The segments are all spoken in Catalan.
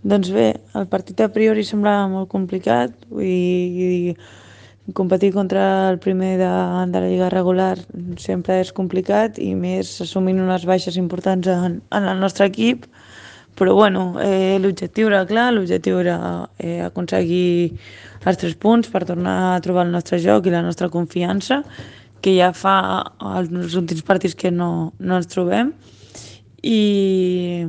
Doncs bé, el partit a priori semblava molt complicat i competir contra el primer de la lliga regular sempre és complicat i més assumint unes baixes importants en el nostre equip. Però bueno, l'objectiu era clar, l'objectiu era aconseguir els 3 punts per tornar a trobar el nostre joc i la nostra confiança, que ja fa els últims partits que no ens trobem. I,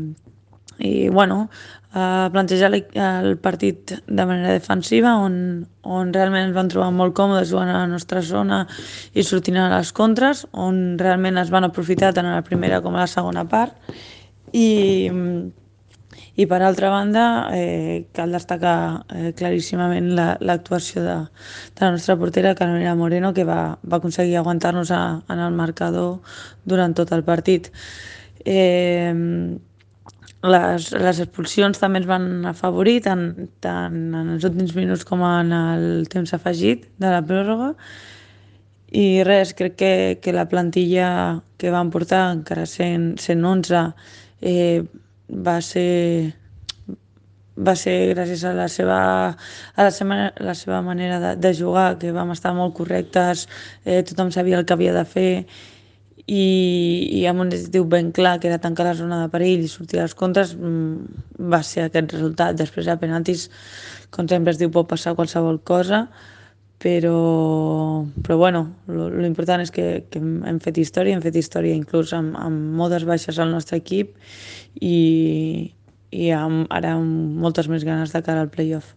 i bueno, plantejar el partit de manera defensiva on realment ens vam trobar molt còmodes jugant a la nostra zona i sortint a les contres, on realment es van aprofitar tant a la primera com a la segona part. I per altra banda, cal destacar claríssimament l'actuació de la nostra portera, Carolina Moreno, que va aconseguir aguantar-nos en el marcador durant tot el partit. Les expulsions també ens van afavorir, tant en els últims minuts com en el temps afegit de la pròrroga. I res, crec que la plantilla que vam portar, encara sent 11, va ser va ser gràcies a la seva manera de jugar, que vam estar molt correctes, tothom sabia el que havia de fer i amb un objectiu ben clar, que era tancar la zona de perill i sortir a les contres, va ser aquest resultat. Després a penaltis, com sempre es diu, pot passar qualsevol cosa, però bueno, l'important és que hem fet història inclús amb moltes baixes al nostre equip i ara amb moltes més ganes de cara al playoff.